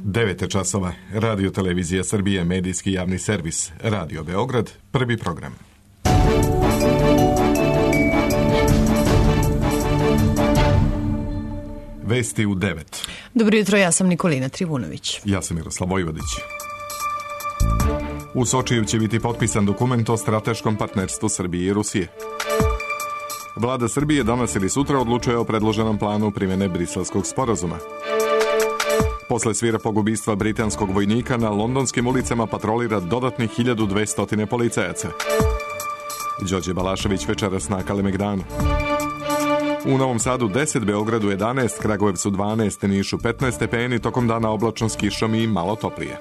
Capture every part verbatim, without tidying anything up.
devet časova. Radio Televizija Srbije, medijski javni servis. Radio Beograd, prvi program. Vesti u devet. Dobro jutro, ja sam Nikolina Trivunović. Ja sam Miroslav Vojvodić. U Sočiju će biti potpisan dokument o strateškom partnerstvu Srbije i Rusije. Vlada Srbije danas ili sutra odlučuje o predloženom planu primjene Briselskog sporazuma. Posle svirepog ubistva britanskog vojnika na londonskim ulicama patrolira dodatnih hiljadu dvesta policajaca. Đorđe Balašević večeras na Kalemegdanu. U Novom Sadu deset, Beogradu jedanaest, Kragujevcu dvanaest, Nišu petnaest stepeni, tokom dana oblačno s kišom i malo toplije.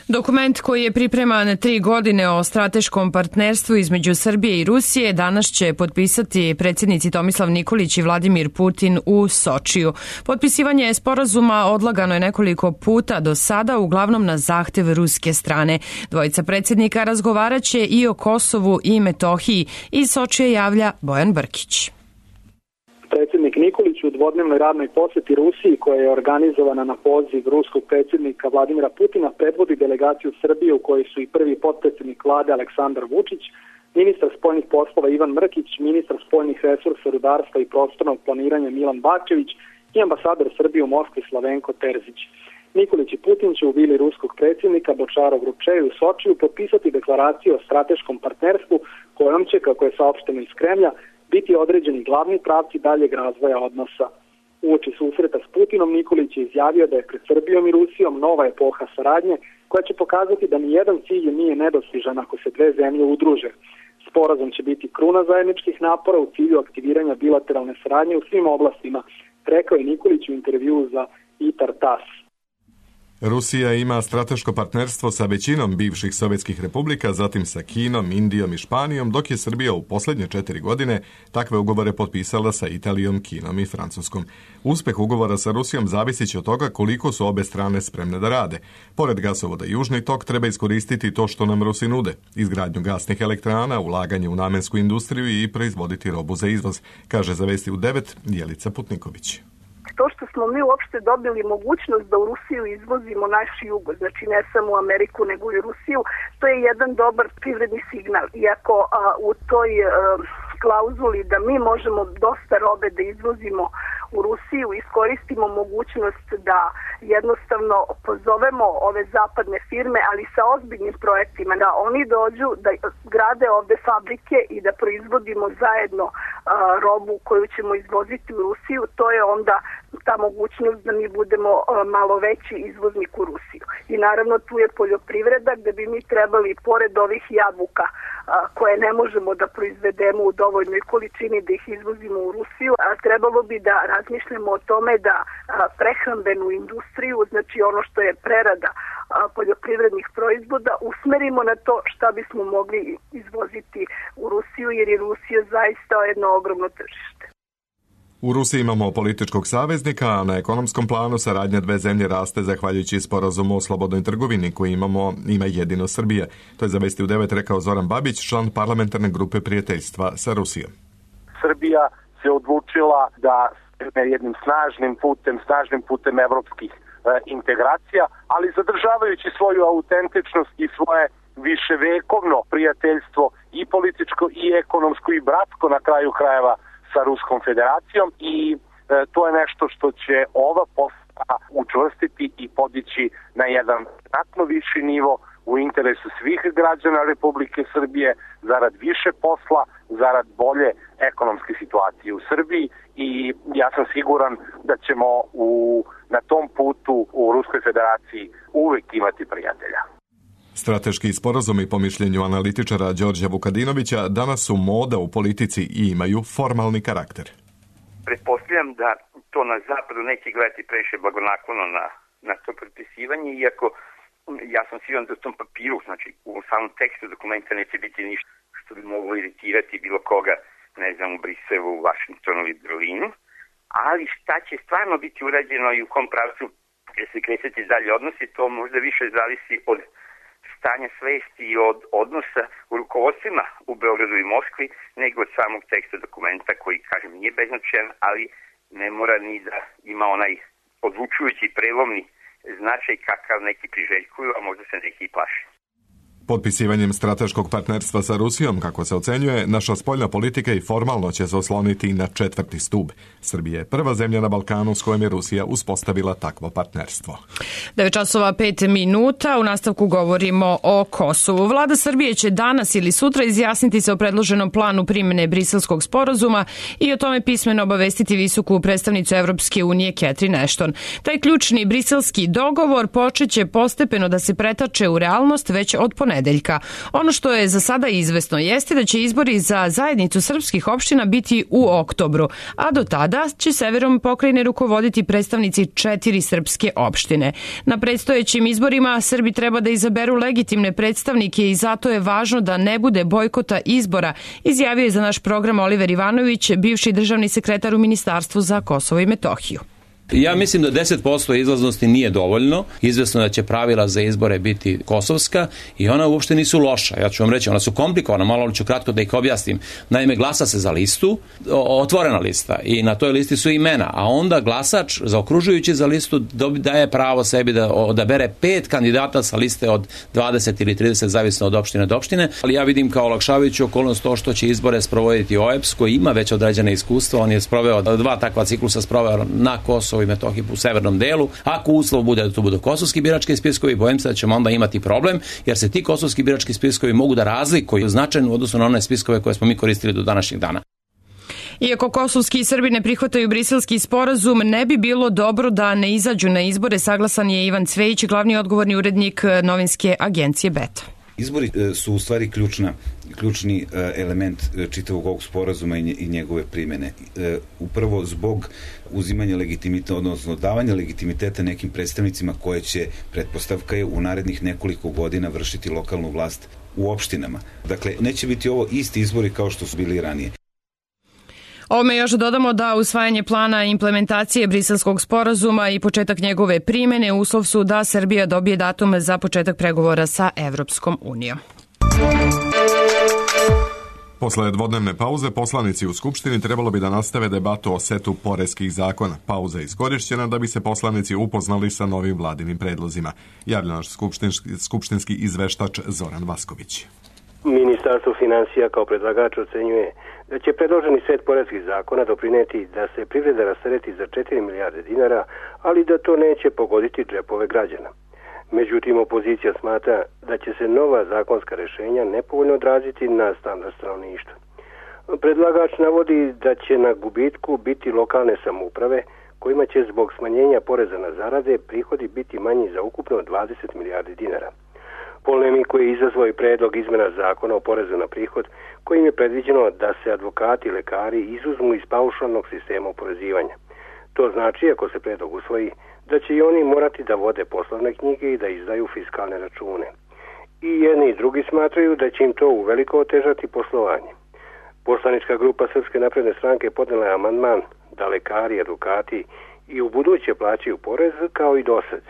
Dokument koji je pripreman tri godine o strateškom partnerstvu između Srbije i Rusije danas će potpisati predsjednici Tomislav Nikolić i Vladimir Putin u Sočiju. Potpisivanje sporazuma odlagano je nekoliko puta do sada, uglavnom na zahtev ruske strane. Dvojica predsjednika razgovaraće i o Kosovu i Metohiji. Iz Sočije javlja Bojan Brkić. Predsjednik Nikolić u dvodnevnoj radnoj posjeti Rusiji, koja je organizovana na poziv ruskog predsjednika Vladimira Putina, predvodi delegaciju Srbije u kojoj su i prvi potpredsjednik vlade Aleksandar Vučić, ministar spoljnih poslova Ivan Mrkić, ministar spoljnih resursa, rudarstva i prostornog planiranja Milan Bačević i ambasador Srbije u Moskvi Slavenko Terzić. Nikolić i Putin će u vili ruskog predsjednika Bočarov Rupčeju u Sočiju potpisati deklaraciju o strateškom partnerstvu kojom će, kako je saopšteno iz Kremlja, biti određeni glavni pravci daljeg razvoja odnosa. Uoči susreta s Putinom Nikolić je izjavio da je pred Srbijom i Rusijom nova epoha saradnje koja će pokazati da nijedan cilj nije nedostižan ako se dve zemlje udruže. Sporazum će biti kruna zajedničkih napora u cilju aktiviranja bilateralne saradnje u svim oblastima, rekao je Nikolić u intervjuu za Itar Tas. Rusija ima strateško partnerstvo sa većinom bivših sovjetskih republika, zatim sa Kinom, Indijom i Španijom, dok je Srbija u posljednje četiri godine takve ugovore potpisala sa Italijom, Kinom i Francuskom. Uspeh ugovora sa Rusijom zavisit će od toga koliko su obe strane spremne da rade. Pored gasovoda Južni tok treba iskoristiti to što nam Rusi nude, izgradnju gasnih elektrana, ulaganje u namensku industriju i proizvoditi robu za izvoz, kaže za Vesti u devet Jelica Putniković. To što smo mi uopšte dobili mogućnost da u Rusiju izvozimo naš jug, znači ne samo u Ameriku nego i u Rusiju, to je jedan dobar privredni signal. Iako a, u toj a, klauzuli da mi možemo dosta robe da izvozimo u Rusiju, iskoristimo mogućnost da jednostavno pozovemo ove zapadne firme, ali sa ozbiljnim projektima, da oni dođu, da grade ovde fabrike i da proizvodimo zajedno a, robu koju ćemo izvoziti u Rusiju, to je onda ta mogućnost da mi budemo a, malo veći izvoznik u Rusiju. I naravno tu je poljoprivreda gde bi mi trebali, pored ovih jabuka a, koje ne možemo da proizvedemo u dovoljnoj količini da ih izvozimo u Rusiju, a trebalo bi da razmišljamo o tome da a, prehrambenu industriju, znači ono što je prerada a, poljoprivrednih proizvoda, usmerimo na to šta bismo mogli izvoziti u Rusiju, jer je Rusija zaista jedno ogromno tržište. U Rusiji imamo političkog saveznika, a na ekonomskom planu saradnja dve zemlje raste zahvaljujući sporazumu o slobodnoj trgovini koji imamo, ima jedino Srbija. To je za Vesti u devet rekao Zoran Babić, član parlamentarne grupe prijateljstva sa Rusijom. Srbija se odlučila da jednim snažnim putem, snažnim putem evropskih e, integracija, ali zadržavajući svoju autentičnost i svoje viševekovno prijateljstvo i političko i ekonomsko i bratsko na kraju krajeva sa Ruskom federacijom i e, to je nešto što će ova posla učvrstiti i podići na jedan znatno viši nivo u interesu svih građana Republike Srbije, zarad više posla, zarad bolje ekonomske situacije u Srbiji i ja sam siguran da ćemo u, na tom putu u Ruskoj federaciji uvek imati prijatelja. Strateški sporazumi, po mišljenju analitičara Đorđa Vukadinovića, danas su moda u politici i imaju formalni karakter. Pretpostavljam da to na zapadu neće gledati previše blagonaklono na, na to potpisivanje, iako ja sam siguran da u tom papiru, znači u samom tekstu dokumenta neće biti ništa što bi moglo iritirati bilo koga, ne znam, u Briselu, u Vašingtonu ili Berlinu, ali šta će stvarno biti urađeno i u kom pravcu će se kretati dalje odnosi, to možda više zavisi od stanja svesti i od odnosa u rukovodstvima u Beogradu i Moskvi, nego od samog teksta dokumenta koji, kažem, nije beznačajan, ali ne mora ni da ima onaj odlučujući prelomni značaj kakav neki priželjkuju, a možda se neki i plaše. Potpisivanjem strateškog partnerstva sa Rusijom, kako se ocenjuje, naša spoljna politika i formalno će se osloniti na četvrti stub. Srbija je prva zemlja na Balkanu s kojom je Rusija uspostavila takvo partnerstvo. devet časova pet minuta, u nastavku govorimo o Kosovu. Vlada Srbije će danas ili sutra izjasniti se o predloženom planu primjene Briselskog sporazuma i o tome pismeno obavestiti visoku predstavnicu Evropske unije Catherine Ashton. Taj ključni briselski dogovor počeće postepeno da se pretače u realnost već od ponedeljka. Ono što je za sada izvesno jeste da će izbori za zajednicu srpskih opština biti u oktobru, a do tada će severom pokrajine rukovoditi predstavnici četiri srpske opštine. Na predstojećim izborima Srbi treba da izaberu legitimne predstavnike i zato je važno da ne bude bojkota izbora, izjavio je za naš program Oliver Ivanović, bivši državni sekretar u Ministarstvu za Kosovo i Metohiju. Ja mislim da deset posto izlaznosti nije dovoljno. Izvesno da će pravila za izbore biti kosovska i ona uopšte nisu loša. Ja ću vam reći, ona su komplikovana, malo ću kratko da ih objasnim. Naime, glasa se za listu, otvorena lista i na toj listi su imena, a onda glasač zaokružujući za listu daje pravo sebi da odabere pet kandidata sa liste od dvadeset ili trideset, zavisno od opštine do opštine. Ali ja vidim kao olakšavajuću okolnost to što će izbore sprovoditi O E P S, koji ima već određene iskustva. On je sproveo dva takva ciklusa, sproveo na Kosovo i Metohiji u severnom delu. Ako uslov bude da to budu kosovski birački spiskovi, bojim se da ćemo onda imati problem, jer se ti kosovski birački spiskovi mogu da razlikuju značajno u odnosu na one spiskove koje smo mi koristili do današnjeg dana. Iako kosovski Srbi ne prihvataju briselski sporazum, ne bi bilo dobro da ne izađu na izbore, saglasan je Ivan Cvejić, glavni odgovorni urednik novinske agencije Beta. Izbori su u stvari ključna, ključni element čitavog ovog sporazuma i njegove primjene. Upravo zbog uzimanja legitimiteta, odnosno davanja legitimiteta nekim predstavnicima koje će, pretpostavka je, u narednih nekoliko godina vršiti lokalnu vlast u opštinama. Dakle, neće biti ovo isti izbori kao što su bili ranije. Ovome još dodamo da usvajanje plana implementacije briselskog sporazuma i početak njegove primjene uslov su da Srbija dobije datum za početak pregovora sa Evropskom unijom. Posle dvodnevne pauze poslanici u Skupštini trebalo bi da nastave debatu o setu poreskih zakona. Pauza je iskorišćena da bi se poslanici upoznali sa novim vladinim predlozima. Javlja naš skupštinski, skupštinski izveštač Zoran Vasković. Ministarstvo finansija kao predlagač ocenjuje da će predloženi set poreskih zakona doprineti da se privreda rastereti za četiri milijarde dinara, ali da to neće pogoditi džepove građana. Međutim, opozicija smatra da će se nova zakonska rešenja nepovoljno odraziti na standard stanovništva. Predlagač navodi da će na gubitku biti lokalne samouprave, kojima će zbog smanjenja poreza na zarade prihodi biti manji za ukupno dvadeset milijardi dinara. Polemiku je izazvao i predlog izmena zakona o porezu na prihod, kojim je predviđeno da se advokati i lekari izuzmu iz paušalnog sistema oporezivanja. To znači, ako se predlog usvoji, da će i oni morati da vode poslovne knjige i da izdaju fiskalne račune. I jedni i drugi smatraju da će im to uveliko otežati poslovanje. Poslanička grupa Srpske napredne stranke podnela je amandman da lekari i advokati i u buduće plaćaju porez kao i dosad.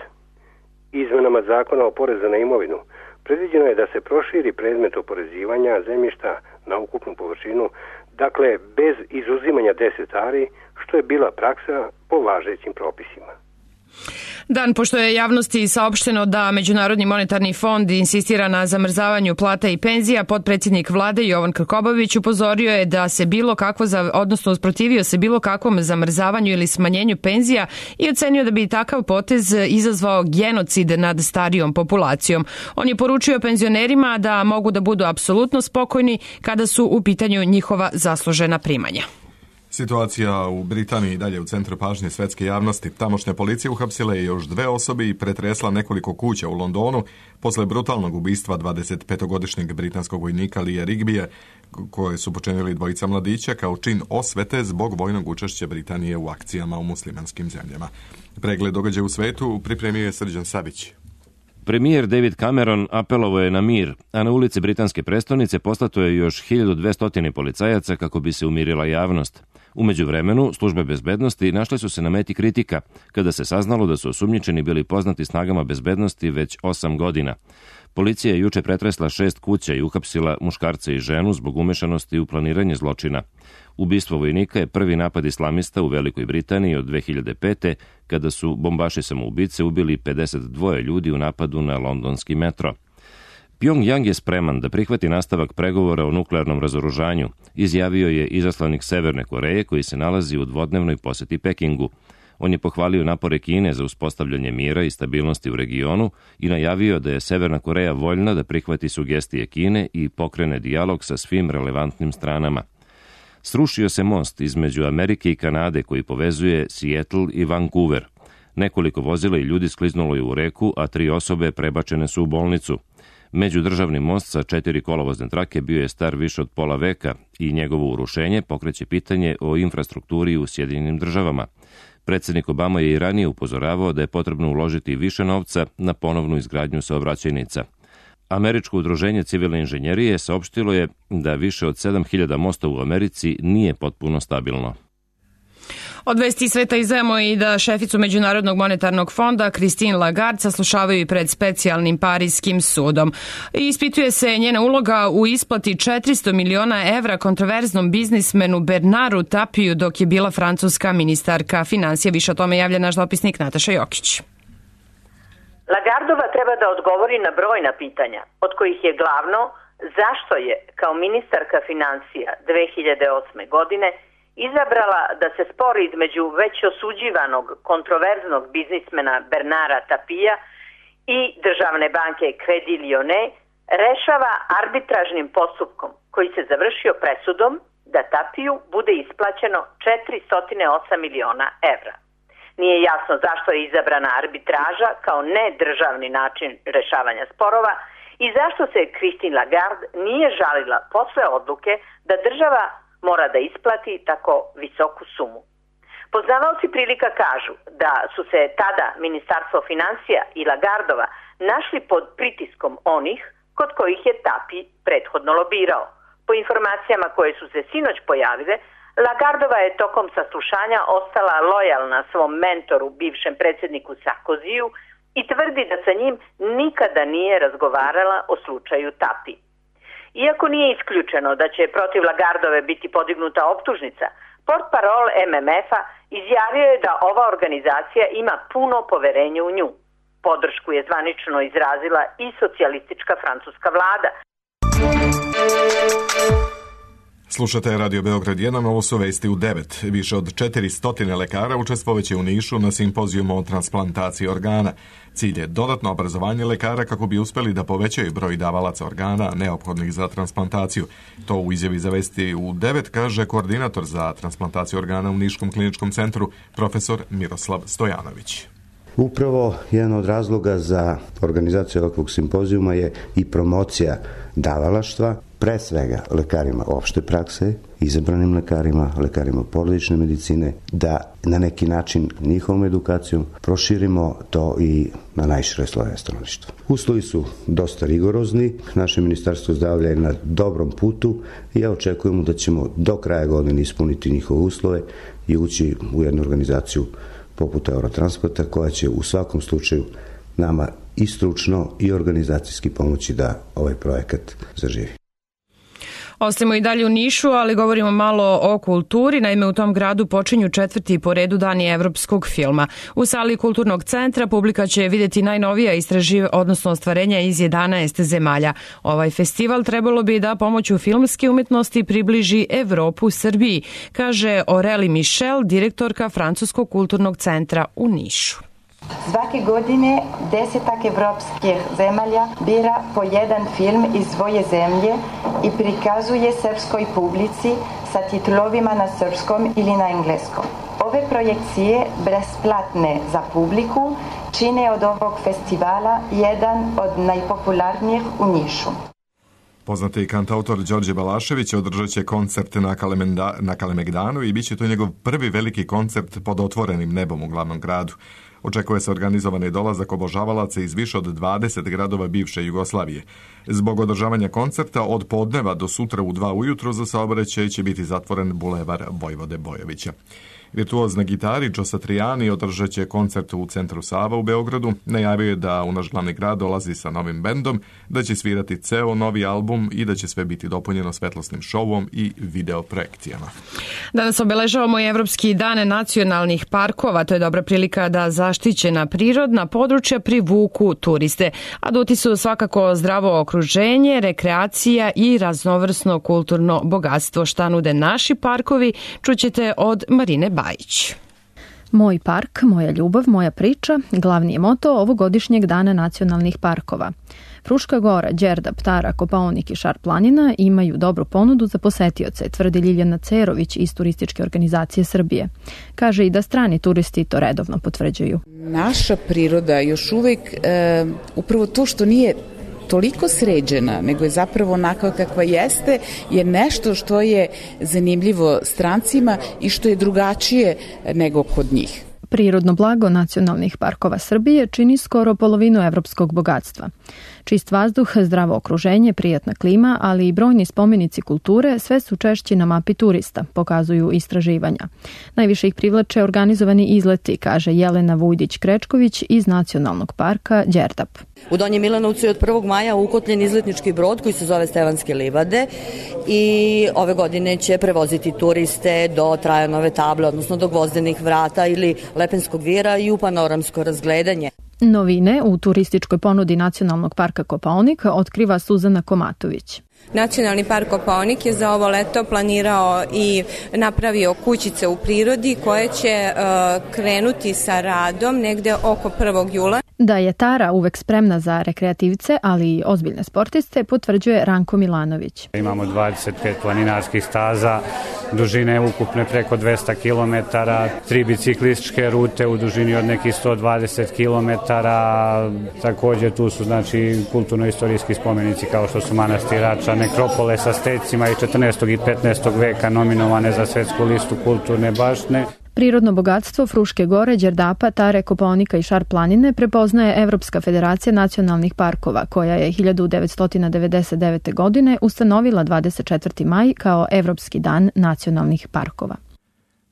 Izmenama zakona o porezu na imovinu predviđeno je da se proširi predmet oporezivanja zemljišta na ukupnu površinu, dakle bez izuzimanja deset ari, što je bila praksa po važećim propisima. Dan, pošto je javnosti saopšteno da Međunarodni monetarni fond insistira na zamrzavanju plata i penzija, potpredsjednik vlade Jovan Krkobabić upozorio je da se bilo kakvo, odnosno usprotivio se bilo kakvom zamrzavanju ili smanjenju penzija i ocenio da bi takav potez izazvao genocid nad starijom populacijom. On je poručio penzionerima da mogu da budu apsolutno spokojni kada su u pitanju njihova zaslužena primanja. Situacija u Britaniji dalje u centru pažnje svetske javnosti. Tamošnja policija uhapsila je još dve osobe i pretresla nekoliko kuća u Londonu posle brutalnog ubistva dvadesetpetogodišnjeg britanskog vojnika Leea Rigbija, koje su počinili dvojica mladića kao čin osvete zbog vojnog učešća Britanije u akcijama u muslimanskim zemljama. Pregled događaja u svetu pripremio je Srđan Savić. Premijer David Cameron apelovao je na mir, a na ulici britanske prestonice poslato je još hiljadu dvesta policajaca kako bi se umirila javnost. U međuvremenu, službe bezbednosti našle su se na meti kritika, kada se saznalo da su osumnjičeni bili poznati snagama bezbednosti već osam godina. Policija je juče pretresla šest kuća i uhapsila muškarca i ženu zbog umešanosti u planiranje zločina. Ubistvo vojnika je prvi napad islamista u Velikoj Britaniji od dve hiljade pete. kada su bombaši samoubice ubili pedeset dva ljudi u napadu na londonski metro. Pjongjang je spreman da prihvati nastavak pregovora o nuklearnom razoružanju, izjavio je izaslanik Severne Koreje koji se nalazi u dvodnevnoj poseti Pekingu. On je pohvalio napore Kine za uspostavljanje mira i stabilnosti u regionu i najavio da je Severna Koreja voljna da prihvati sugestije Kine i pokrene dijalog sa svim relevantnim stranama. Srušio se most između Amerike i Kanade koji povezuje Seattle i Vancouver. Nekoliko vozila i ljudi skliznulo je u reku, a tri osobe prebačene su u bolnicu. Međudržavni most sa četiri kolovozne trake bio je star više od pola veka i njegovo urušenje pokreće pitanje o infrastrukturi u Sjedinjenim državama. Predsjednik Obama je i ranije upozoravao da je potrebno uložiti više novca na ponovnu izgradnju saobraćajnica. Američko udruženje civilne inženjerije saopštilo je da više od sedam hiljada mosta u Americi nije potpuno stabilno. Od vesti sveta izdajemo i da šeficu Međunarodnog monetarnog fonda Christine Lagarde saslušavaju i pred specijalnim parijskim sudom. Ispituje se njena uloga u isplati četiristo miliona evra kontroverznom biznismenu Bernaru Tapiju dok je bila francuska ministarka financija. Više o tome javlja naš dopisnik Nataša Jokić. Lagardova treba da odgovori na brojna pitanja, od kojih je glavno zašto je kao ministarka financija dve hiljade osme. godine izabrala da se spor između već osuđivanog kontroverznog biznismena Bernara Tapija i državne banke Credit Lyonnais rešava arbitražnim postupkom koji se završio presudom da Tapiju bude isplaćeno četiristo osam miliona evra. Nije jasno zašto je izabrana arbitraža kao nedržavni način rešavanja sporova i zašto se Christine Lagarde nije žalila posle odluke da država mora da isplati tako visoku sumu. Poznavaoci prilika kažu da su se tada Ministarstvo financija i Lagardova našli pod pritiskom onih kod kojih je Tapi prethodno lobirao. Po informacijama koje su se sinoć pojavile, Lagardova je tokom saslušanja ostala lojalna svom mentoru, bivšem predsjedniku Sarkoziju, i tvrdi da sa njim nikada nije razgovarala o slučaju Tapi. Iako nije isključeno da će protiv Lagardove biti podignuta optužnica, portparol em em ef-a izjavio je da ova organizacija ima puno poverenje u nju. Podršku je zvanično izrazila i socijalistička francuska vlada. Slušate Radio Beograd jedan, ovo su vesti u devet. Više od četiristo lekara učestvovaće u Nišu na simpozijumu o transplantaciji organa. Cilj je dodatno obrazovanje lekara kako bi uspeli da povećaju broj davalaca organa neophodnih za transplantaciju. To u izjavi za vesti u devet kaže koordinator za transplantaciju organa u Niškom kliničkom centru, profesor Miroslav Stojanović. Upravo jedan od razloga za organizaciju ovakvog simpozijuma je i promocija davalaštva, pre svega lekarima opšte prakse, izabranim lekarima, lekarima porodične medicine, da na neki način njihovom edukacijom proširimo to i na najšire slojeve stanovništva. Uslovi su dosta rigorozni, naše ministarstvo zdravlja je na dobrom putu i ja očekujemo da ćemo do kraja godine ispuniti njihove uslove i ući u jednu organizaciju poput Eurotransporta koja će u svakom slučaju nama i stručno i organizacijski pomoći da ovaj projekat zaživi. Ostajemo i dalje u Nišu, ali govorimo malo o kulturi. Naime, u tom gradu počinju četvrti po redu dani evropskog filma. U sali Kulturnog centra publika će vidjeti najnovija istraživa, odnosno ostvarenja iz jedanaest zemalja. Ovaj festival trebalo bi da pomoću filmske umetnosti približi Evropu Srbiji, kaže Aurélie Michel, direktorka Francuskog kulturnog centra u Nišu. Svake godine desetak evropskih zemalja bira po jedan film iz svoje zemlje i prikazuje srpskoj publici sa titlovima na srpskom ili na engleskom. Ove projekcije, besplatne za publiku, čine od ovog festivala jedan od najpopularnijih u Nišu. Poznati kantautor Đorđe Balašević održat će koncert na, Kalemenda, na Kalemegdanu i bit će to njegov prvi veliki koncert pod otvorenim nebom u glavnom gradu. Očekuje se organizovani dolazak obožavalaca iz više od dvadeset gradova bivše Jugoslavije. Zbog održavanja koncerta od podneva do sutra u dva ujutro za saobraćaj će biti zatvoren bulevar Vojvode Bojovića. Virtuoz na gitari Joe Satriani održat će koncert u centru Sava u Beogradu. Najavio je da u naš glavni grad dolazi sa novim bendom, da će svirati ceo novi album i da će sve biti dopunjeno svetlosnim šovom i video projekcijama. Danas obeležavamo i Evropski dan nacionalnih parkova. To je dobra prilika da zaštićena prirodna područja privuku turiste. Aduti su svakako zdravo okruženje, rekreacija i raznovrsno kulturno bogatstvo. Šta nude naši parkovi, čućete od Marine Bajić. Moj park, moja ljubav, moja priča, glavni je moto ovogodišnjeg dana nacionalnih parkova. Fruška Gora, Đerdap, Tara, Kopaonik i Šar planina imaju dobru ponudu za posetioce, tvrdi Ljiljana Cerović iz Turističke organizacije Srbije. Kaže i da strani turisti to redovno potvrđuju. Naša priroda još uvek, e, upravo to što nije toliko sređena, nego je zapravo onakva kakva jeste, je nešto što je zanimljivo strancima i što je drugačije nego kod njih. Prirodno blago nacionalnih parkova Srbije čini skoro polovinu evropskog bogatstva. Čist vazduh, zdravo okruženje, prijatna klima, ali i brojni spomenici kulture sve su češći na mapi turista, pokazuju istraživanja. Najviše ih privlače organizovani izleti, kaže Jelena Vujdić-Krečković iz Nacionalnog parka Đerdap. U Donjem Milanovcu je od prvog maja ukotljen izletnički brod koji se zove Stevanske livade i ove godine će prevoziti turiste do Trajanove table, odnosno do Gvozdenih vrata ili Lepenskog vira i u panoramsko razgledanje. Novine u turističkoj ponudi Nacionalnog parka Kopaonik otkriva Suzana Komatović. Nacionalni park Kopaonik je za ovo leto planirao i napravio kućice u prirodi koje će uh, krenuti sa radom negde oko prvog jula. Da je Tara uvek spremna za rekreativce, ali i ozbiljne sportiste, potvrđuje Ranko Milanović. Imamo dvadeset pet planinarskih staza, dužine ukupne preko dvesta kilometara, tri biciklističke rute u dužini od nekih sto dvadeset kilometara. Također tu su znači kulturno-istorijski spomenici kao što su manastir Rača, nekropole sa stecima i četrnaestog i petnaestog veka nominovane za svetsku listu kulturne baštine. Prirodno bogatstvo Fruške Gore, Đerdapa, Tare, Kopaonika i Šar planine prepoznaje Evropska federacija nacionalnih parkova, koja je hiljadu devetsto devedeset devete. godine ustanovila dvadeset četvrti maj kao Evropski dan nacionalnih parkova.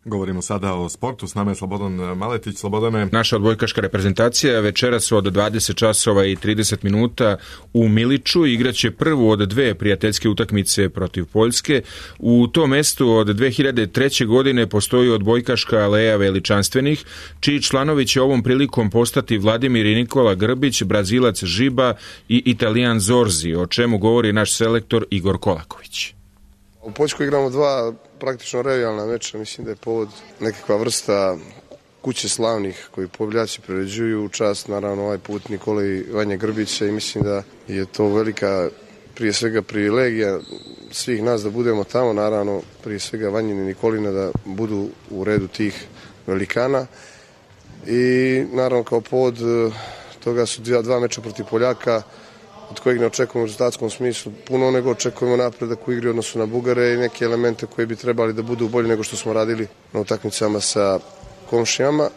Govorimo sada o sportu, s nama je Slobodan Maletić. Slobodane. Naša odbojkaška reprezentacija večeras od dvadeset časova i trideset minuta u Miliću igraće prvu od dve prijateljske utakmice protiv Poljske. U tom mestu od dve hiljade treće. godine postoji odbojkaška aleja veličanstvenih, čiji članovi će ovom prilikom postati Vladimir i Nikola Grbić, Brazilac Žiba i Italijan Zorzi, o čemu govori naš selektor Igor Kolaković. U Poljskoj igramo dva praktično revijalna meča, mislim da je povod nekakva vrsta kuće slavnih koji pobjeljači priređuju u čast, naravno ovaj put Nikole i Vanje Grbića, i mislim da je to velika prije svega privilegija svih nas da budemo tamo, naravno prije svega Vanjina i Nikolina da budu u redu tih velikana, i naravno kao povod toga su dva, dva meča protiv Poljaka od kojeg ne očekujemo u rezultatskom smislu puno, nego očekujemo napredak u igri odnosu na Bugare i neke elemente koji bi trebali da budu bolji nego što smo radili na utakmicama sa komšijama.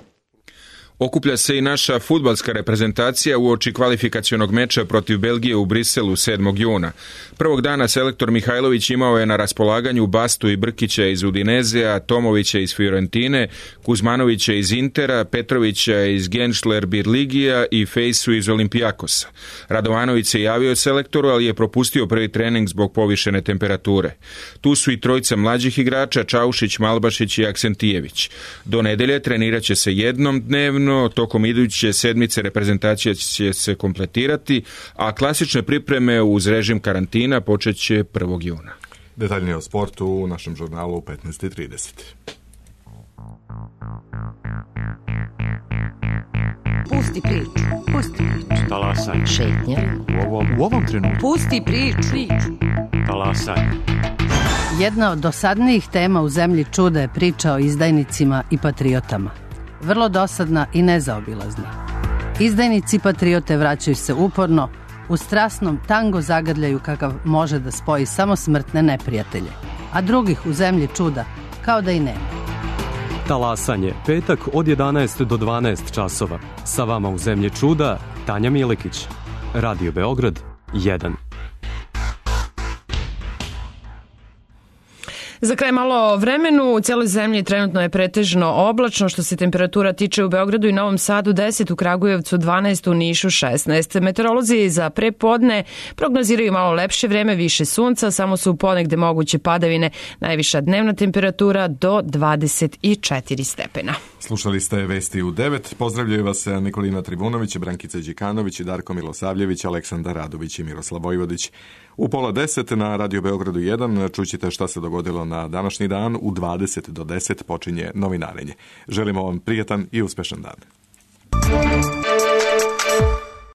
Okuplja se i naša fudbalska reprezentacija uoči kvalifikacionog meča protiv Belgije u Briselu sedmog juna. Prvog dana selektor Mihajlović imao je na raspolaganju Bastu i Brkića iz Udinezea, Tomovića iz Fiorentine, Kuzmanovića iz Intera, Petrovića iz Genšler Birligija i Fejsu iz Olimpijakosa. Radovanović se javio selektoru, ali je propustio prvi trening zbog povišene temperature. Tu su i trojica mlađih igrača, Čaušić, Malbašić i Aksentijević. Do nedelje trenirat će se jednom dnevno. No, tokom iduće sedmice reprezentacija će se kompletirati, a klasične pripreme uz režim karantina počet će prvog juna. Detaljnije o sportu u našem žurnalu u petnaest i trideset. Pusti priču, pusti priču. Talasaj. Šetnja. U ovom, u ovom trenutku. Pusti priču. priču. Talasaj. Jedna od dosadnijih tema u Zemlji čuda je priča o izdajnicima i patriotama. Vrlo dosadna i nezaobilazna. Izdajnici i patriote vraćaju se uporno, u strasnom tango zagrljaju kakav može da spoji samo smrtne neprijatelje, a drugih u Zemlji čuda kao da i nema. Talasanje, petak od jedanaest do dvanaest časova. Sa vama u Zemlji čuda, Tanja Milekić. Radio Beograd, jedan. Za kraj malo o vremenu. U cijeloj zemlji trenutno je pretežno oblačno. Što se temperatura tiče, u Beogradu i Novom Sadu deset, u Kragujevcu dvanaest, u Nišu šesnaest. Meteorolozi za prepodne prognoziraju malo lepše vreme, više sunca, samo su ponegde moguće padavine, najviša dnevna temperatura do dvadeset četiri stepena. Slušali ste Vesti u devet. Pozdravljaju vas Nikolina Tribunović, Brankica Đikanović, Darko Milosavljević, Aleksandar Radović i Miroslav Vojvodić. U pola deset na Radio Beogradu jedan čućite šta se dogodilo na današnji dan. U dvadeset do deset počinje novinarenje. Želimo vam prijatan i uspešan dan.